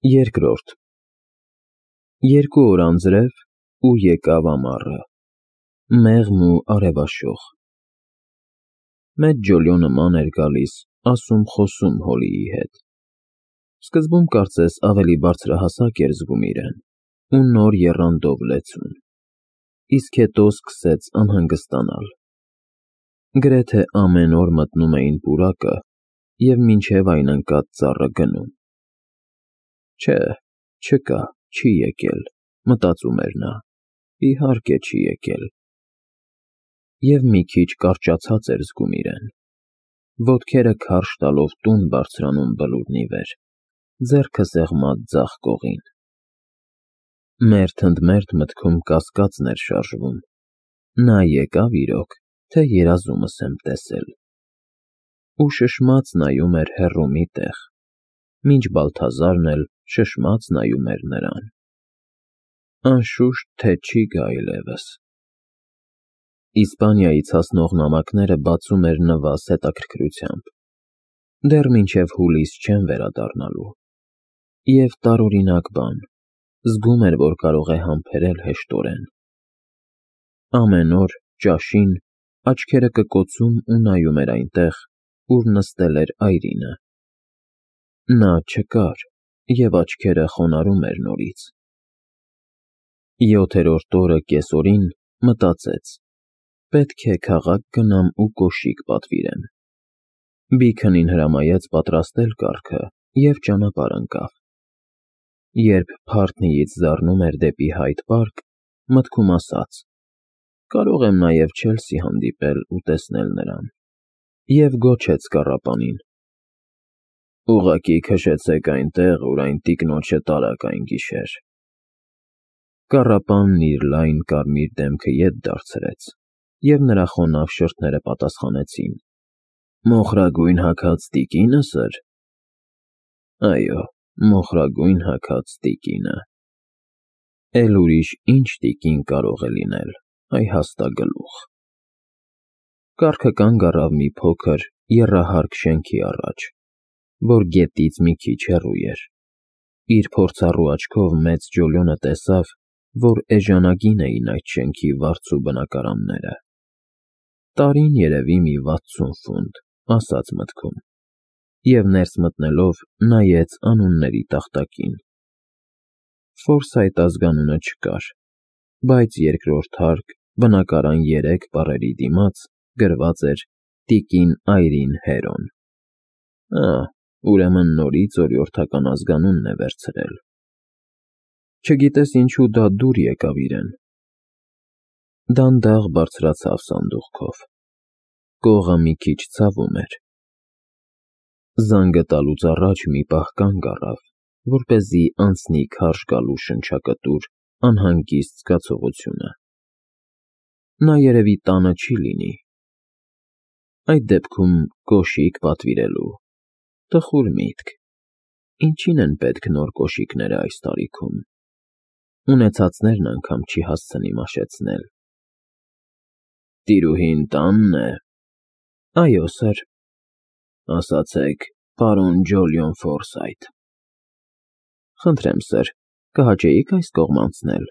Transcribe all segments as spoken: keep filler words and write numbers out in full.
Երկրորդ Երկու օր անձրև, ու եկավ ամառը, մեղմ ու արևաշող։ Մեծ ջոլյոնը ման էր գալիս, ասում-խոսում Հոլիի հետ։ Սկզբում կարծես ավելի բարձրահասակ էր զգում իրեն, ու նոր եռանդով լեցուն, իսկ հետո սկսեց անհանգստանալ։ Գրեթե ամեն օր մտնում էին պուրակը և մինչև այն ընկած ծառը գնում։ Չէ, չկա, չի եկել, մտածում էր նա, իհարկե չի եկել։ Եվ մի քիչ կարճացած էր զգում իրեն, ոտքերը քարշ տալով տուն բարձրանում բլուրն ի վեր, ձեռքը սեղմած ձախ կողին։ Մերթ ընդ մերթ մտքում կասկածն էր շարժվում. նա եկա՞վ իրոք, թե երազումս եմ տեսել։ Ու շշմած նայում էր հեռու մի տեղ, մինչ Բալթազարն էլ շշմած նայում էր նրան։ Անշուշտ, թե չի գա այլևս։ Իսպանիայից հասնող նամակները բացում էր Նվազ հետաքրքրությամբ։ Դեռ մինչև հուլիս չեն վերադառնալու։ Եվ տարօրինակ բան, զգում էր, որ կարող է համբերել հեշտորեն։ Ամեն օր, ճաշին, աչքերը կկոցում ու նայում էր այնտեղ, ուր նստել էր Այրինը։ Նա չկար, և աչքերը խոնարհում էր նորից։ Յոթերորդ օրը կեսօրին մտածեց. պետք է քաղաք գնամ ու կոշիկ պատվիրեմ։ Բիքենին հրամայեց պատրաստել կառքը և ճանապարհ ընկավ։ Երբ Փարթնիից զառնում էր դեպի Հայդ Պարկ, մտքում ասաց. կարող եմ նաև Չելսի հանդիպել ու տեսնել նրան, և գոչեց կառապանին. ուղղակի քշեցեք այնտեղ, ուր այն տիկնոջը տարաք այն գիշեր։ Կառապանն իր լայն կարմիր դեմքը ետ դարձրեց, և նրա խոնավ շրթները պատասխանեցին. մոխրագույն հագած տիկինը՞սըր։ Այո, մոխրագույն հագած տիկինը։ Էլ ուրիշ ի՞նչ տիկին կարող է լինել, այ հաստագլուխ։ Կառքը կանգ առավ մի փոքր, եռահարկ շենքի առաջ, որ գետից մի քիչ հեռու էր։ Իր փորձառու աչքով մեծ ջոլյոնը տեսավ, որ էժանագին էին այդ շենքի վարձու բնակարանները։ Տարին երևի մի վաթսուն ֆունտ, ասաց մտքում, և ներս մտնելով նայեց անունների տախտակին։ Ֆորսայթ ազգանունը չկար, բայց երկրորդ հարկ, բնակարան երեք բառերի դիմաց գրված էր տիկին Այրին Հերոն։ Ա, ուրեմն նորից օրիորդական ազգանունն է վերցրել։ Չգիտես ինչու դա դուր եկավ իրեն։ Դանդաղ բարձրացավ սանդուղքով։ Կողը մի քիչ ցավում էր։ Զանգը տալուց առաջ մի պահ կանգ առավ, որպեսզի անցնի քարշ գալու շնչակտուր անհանգիստ զգացողությունը։ Նա երևի տանը չի լինի։ Այդ դեպքում կոշիկ պատվիրելու։ Տխուր միտք։ Ինչին են պետք նոր կոշիկները այս տարիքում։ Ունեցածներն անգամ չի հասցնի մաշեցնել։ Տիրուհին տա՞նն է։ Այո, սըր։ Ասացեք, պարոն Ջոլիոն Ֆորսայթ։ Խնդրեմ, սըր, կհաճեի՞ք այս կողմ անցնել։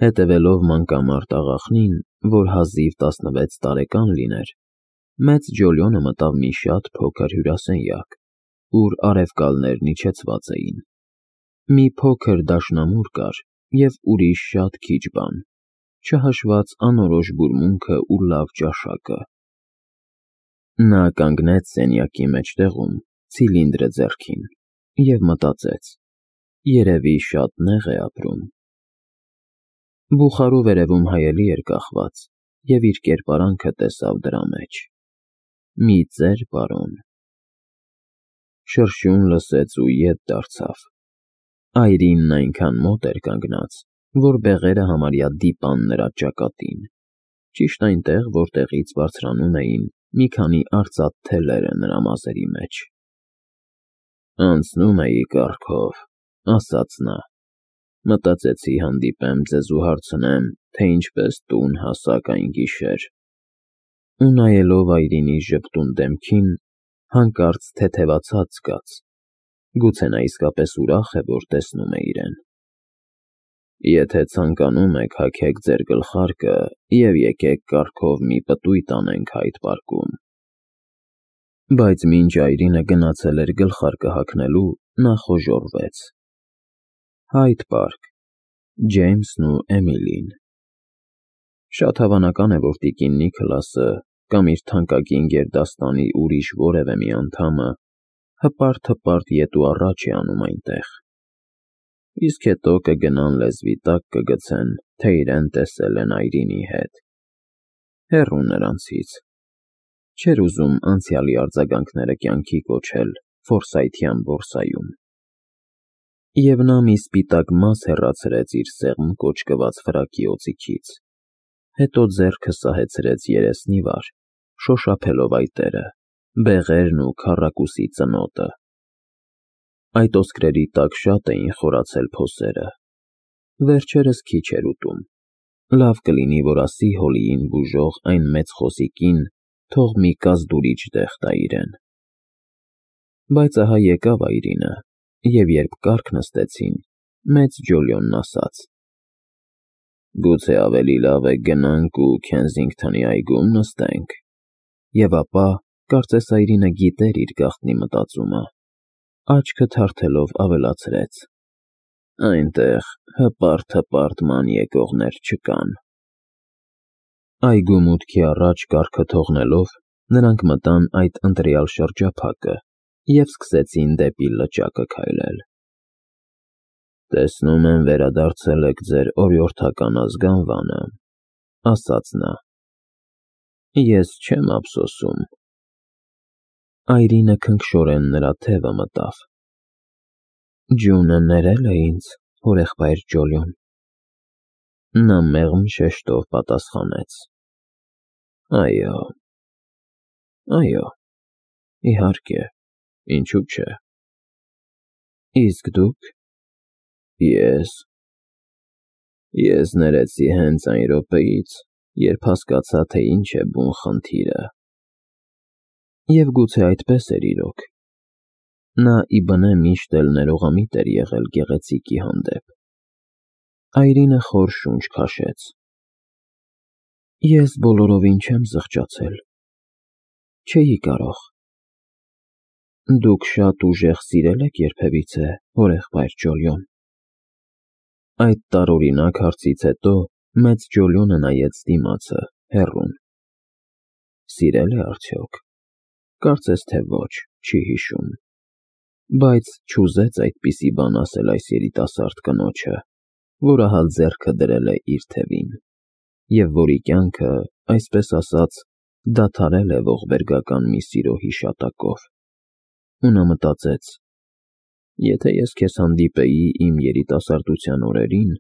Հետևելով մանկամարտ աղախնին, որ հազիվ տասնվեց տարեկան լիներ, մեծ ջոլյոնը մտավ մի շատ փոքր հյուրասենյակ, ուր արևկալներն իջեցված էին։ Մի փոքր դաշնամուր կար և ուրիշ շատ քիչ բան, չհաշված անորոշ բուրմունքը ու լավ ճաշակը։ Նա կանգնեց սենյակի մեջտեղում, ցիլինդրը ձեռքին, և մտածեց. երևի շատ նեղ է ապրում։ Բուխարու վերևում հայելի էր կախված, և իր կերպարանքը տեսավ դրա մեջ։ Մի ծեր պարոն։ Շրշյուն լսեց ու ետ դարձավ։ Այրինն այնքան մոտ էր կանգնած, որ բեղերը համարյա դիպան նրա ճակատին, ճիշտ այնտեղ, որտեղից բարձրանում էին մի քանի արծաթ թելերը նրա մազերի մեջ։ Անցնում էի կառքով, ասաց նա, մտածեցի հանդիպեմ ձեզ ու հարցնեմ, թե ինչպես տուն հասաք այն գիշեր։ Ու նայելով Այրինի ժպտուն դեմքին, հանկարծ թեթևացած զգաց, Գուցե նա իսկապես ուրախ է, որ տեսնում է իրեն։ Եթե ցանկանում եք, հագեք ձեր գլխարկը և եկեք կառքով մի պտույտ անենք Հայդ պարկում։ Բայց մինչ այրինը գնացել էր գլխարկը հագնելու, նա խոժոռվեց. Հայդ պարկ, Ջեյմսն ու Էմիլին։ Շատ հավանական է, որ տիկին Նիքլասը կամ իր թանկագին գերդաստանի ուրիշ որևէ մի անդամը հպարտ-հպարտ ետ ու առաջ է անում այնտեղ, իսկ հետո կգնան լեզվի տակ կգցեն, թե իրեն տեսել են այրինի հետ։ Հեռու նրանցից։ Չէր ուզում անցյալի արձագանքները կյանքի կոչել Ֆորսայթյան բորսայում։ Եվ նա մի սպիտակ մաս հեռացրեց իր սեղմ կոճկված ֆրակի օձիքից, հետո ձեռքը սահեցրեց երեսնի վար, շոշափելով այտերը, բեղերն ու քառակուսի ծնոտը։ Այդ ոսկրերի տակ շատ էին խորացել փոսերը։ Վերջերս քիչ էր ուտում։ Լավ կլինի, որ ասի Հոլիին բուժող այն մեծ խոսիկին, թող մի կազդուրիչ դեղ տա իրեն։ Բայց ահա եկավ այրինը, և երբ կառք նստեցին, մեծ Ջոլիոնն ասաց. Գուցե ավելի լավ է գնանք ու Քենսինգթոնի այգում նստենք։ Եվ ապա, կարծես այրինը գիտեր իր գաղտնի մտածումը, աչքը թարթելով ավելացրեց. Այնտեղ հպարտ-հպարտ ման եկողներ չկան։ Այգու մուտքի առաջ կառքը թողնելով, նրանք մտան այդ ընտրյալ շրջափակը և սկսեցին դեպի լճակը քայլել։ Տեսնում եմ, վերադարձել եք ձեր օրիորդական ազգանվանը, ասաց նա։ Ես չեմ ափսոսում։ Այրինը քնքշորեն նրա թևը մտավ։ Ջունը ներել է ինձ, հորեղբայր Ջոլիոն։ Նա մեղմ շեշտով պատասխանեց. Այո, այո, իհարկե, ինչու՞ չէ։ Իսկ դուք։ Ես… Ես ներեցի հենց այն րոպեից, երբ հասկացա, թե ինչ է բուն խնդիրը։ Եվ գուցե այդպես էր իրոք։ Նա ի բնե միշտ էլ ներողամիտ էր եղել գեղեցիկի հանդեպ։ Այրինը խոր շունչ քաշեց։ Ես բոլորովին չեմ զղջացել։ Չէի կարող։ Դուք շատ ուժեղ սիրել եք երբևիցե, հորեղբայր Ջոլիոն։ Այդ տարօրինակ հարցից հետո մեծ Ջոլիոնը նայեց դիմացը, հեռուն։ Սիրել է արդյոք։ Կարծես թե ոչ, չի հիշում։ Բայց չուզեց այդպիսի բան ասել այս երիտասարդ կնոջը, որ ահա ձեռքը դրել է իր թևին, և որի կյանքը, այսպես ասած, դադարել է ողբերգական մի սիրո հիշատակով։ Ու նա մտածեց. եթե ես քեզ հանդիպեի իմ երիտասարդության օրերին,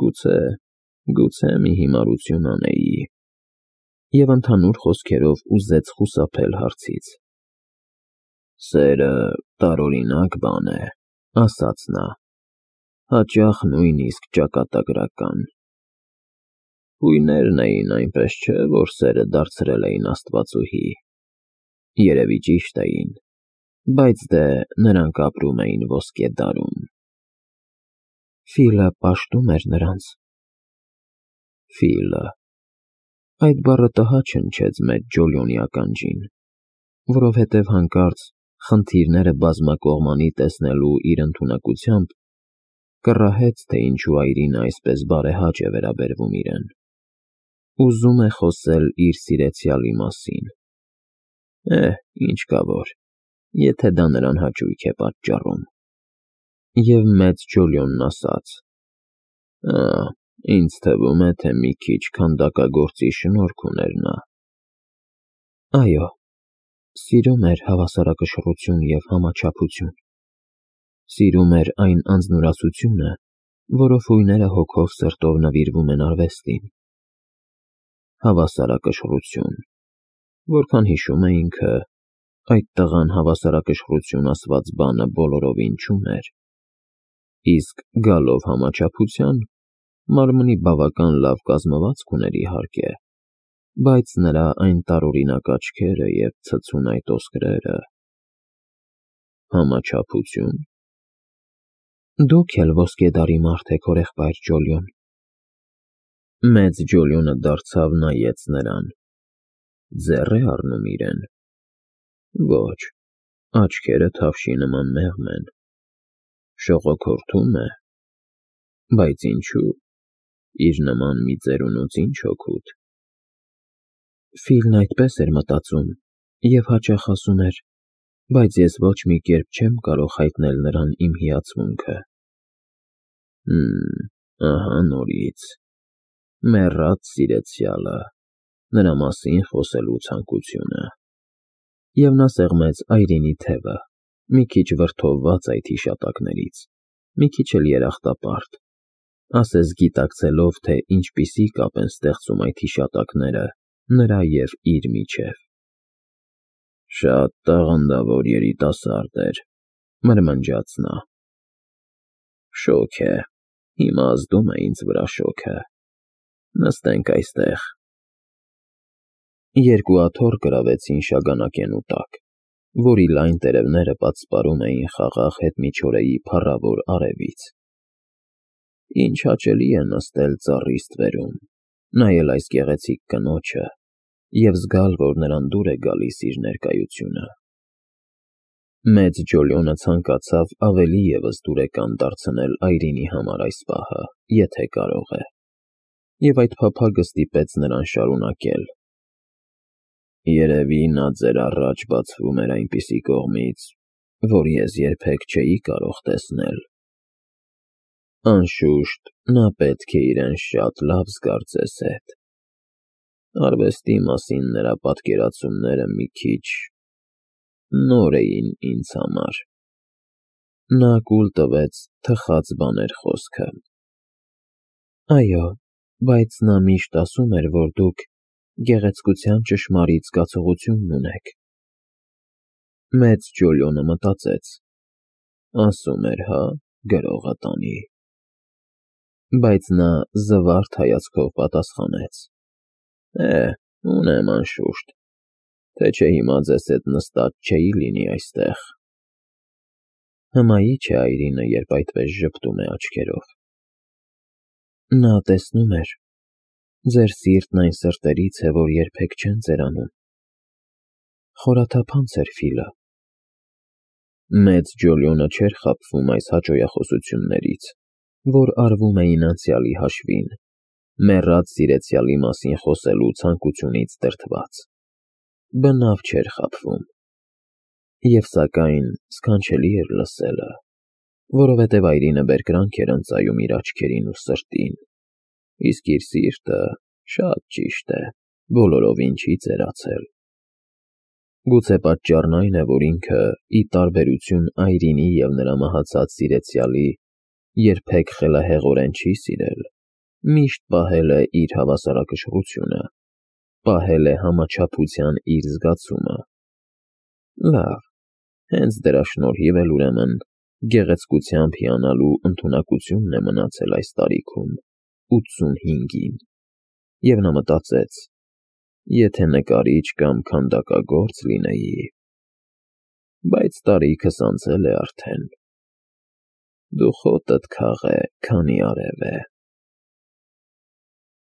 գուցե, գուցե մի հիմարություն անեի։ Եվ ընդհանուր խոսքերով ուզեց խուսափել հարցից։ Սերը տարօրինակ բան է, ասաց նա, հաճախ նույնիսկ ճակատագրական։ Հույներն էին, այնպես չէ, որ սերը դարձրել էին աստվածուհի։ Երևի ճիշտ էին, բայց դե նրանք ապրում էին ոսկե դարում։ Ֆիլը պաշտում էր նրանց։ Ֆիլը… Այդ բառը տհաճ հնչեց մեծ Ջոլիոնի ականջին, որովհետև հանկարծ խնդիրները բազմակողմանի տեսնելու իր ընդունակությամբ կռահեց, թե ինչու այրինը այսպես բարեհաճ է վերաբերվում իրեն։ Ուզում է խոսել իր սիրեցյալի մասին։ Էհ, ինչ կա որ, եթե դա նրան հաճույք է պատճառում։ Եվ մեծ Ջոլիոնն ասաց. Ա, ինձ թվում է, թե մի քիչ քանդակագործի շնորք ուներ նա։ Այո, սիրում էր հավասարակշռություն և համաչափություն։ Սիրում էր այն անձնուրացությունը, որով հույները հոգով սրտով նվիրվում են արվեստին։ Հավասարակշռություն… Որքան հիշում է ինքը, այդ տղան հավասարակշռություն ասված բանը բոլորովին չուներ։ Իսկ գալով համաչափության, մարմնի բավական լավ կազմվածք ուներ իհարկե, բայց նրա այն տարօրինակ աչքերը և ցցուն այդ ոսկրերը… Համաչափություն։ Դուք էլ ոսկեդարի մարդ եք, հորեղբայր Ջոլիոն։ Մեծ Ջոլիոնը դարձավ նայեց նրան։ Ձեռ է առնում իրեն։ Ոչ, աչքերը թավշի նման մեղմ են։ Շողոքորթում է։ Բայց ինչու՞։ Իր նման մի ծերունուց ինչ օգուտ։ Ֆիլն այդպես էր մտածում և հաճախ ասում էր, բայց ես ոչ մի կերպ չեմ կարող հայտնել նրան իմ հիացմունքը։ Հըմ, ահա նորից։ Մեռած սիրեցյալը, նրա մասին խոսելու ցանկությունը։ Եվ նա սեղմեց Այրինի թևը, մի քիչ վրդովված այդ հիշատակներից, մի քիչ էլ երախտապարտ, ասես գիտակցելով, թե ինչպիսի կապ են ստեղծում այդ հիշատակները նրա և իր միջև։ Շատ տաղանդավոր երիտասարդ էր, մրմնջաց նա։ Շոգ է, հիմա ազդում է ինձ վրա շոգը։ Նստենք այստեղ։ Երկու աթոռ գրավեցին շագանակենու տակ, որի լայն տերևները պատսպարում էին խաղաղ հետմիջօրեի փառավոր արևից։ Ինչ հաճելի է նստել ծառի ստվերում, նայել այս գեղեցիկ կնոջը և զգալ, որ նրան դուր է գալիս իր ներկայությունը։ Մեծ Ջոլիոնը ցանկացավ ավելի ևս դուրեկան դարձնել Այրինի համար այս պահը, եթե կարող է, և այդ փափագը ստիպեց նրան շարունակել. Երևի նա ձեր առաջ բացվում էր այնպիսի կողմից, որ ես երբեք չէի կարող տեսնել։ Անշուշտ, նա պետք է իրեն շատ լավ զգար ձեզ հետ։ Արվեստի մասին նրա պատկերացումները մի քիչ նոր էին ինձ համար։ Նա կուլ տվեց թխած բաներ խոսքը։ Այո, բայց նա միշտ ասում էր, որ դուք գեղեցկության ճշմարիտ զգացողություն ունեք։ Մեծ Ջոլիոնը մտածեց. ասում էր, հա, գրողը տանի։ Բայց նա զվարթ հայացքով պատասխանեց. Է, ունեմ անշուշտ, թե չէ հիմա ձեզ հետ նստած չէի լինի այստեղ։ Հմայի չէ Այրինը, երբ այդպես ժպտում է աչքերով։ Նա տեսնում էր, ձեր սիրտն այն սրտերից է, որ երբեք չեն ծերանում։ Խորաթափանց էր Ֆիլը։ Մեծ Ջոլիոնը չէր խաբվում այս հաճոյախոսություններից, որ արվում էին անցյալի հաշվին, մեռած սիրեցյալի մասին խոսելու ցանկությունից դրդված։ Բնավ չէր խաբվում։ Եվ սակայն սքանչելի էր լսելը, որովհետև Այրինը բերկրանք էր ընծայում իր աչքերին ու սրտին, իսկ իր սիրտը, շատ ճիշտ է, բոլորովին չի ծերացել։ Գուցե պատճառն այն է, որ ինքը, ի տարբերություն Այրինի և նրա մահացած սիրեցյալի, երբեք խելահեղորեն չի սիրել, միշտ պահել է իր հավասարակշռությունը, պահել է համաչափության իր զգացումը։ Լավ, հենց դրա շնորհիվ էլ ուրեմն գեղեցկությամբ հիանալու ընդունակությունն է մնացել այս տարիքում, ութսունհինգին, և նա մտածեց. եթե նկարիչ կամ քանդակագործ լինեի, բայց տարիքս անցել է արդեն։ Դու խոտդ քաղե, քանի արև է։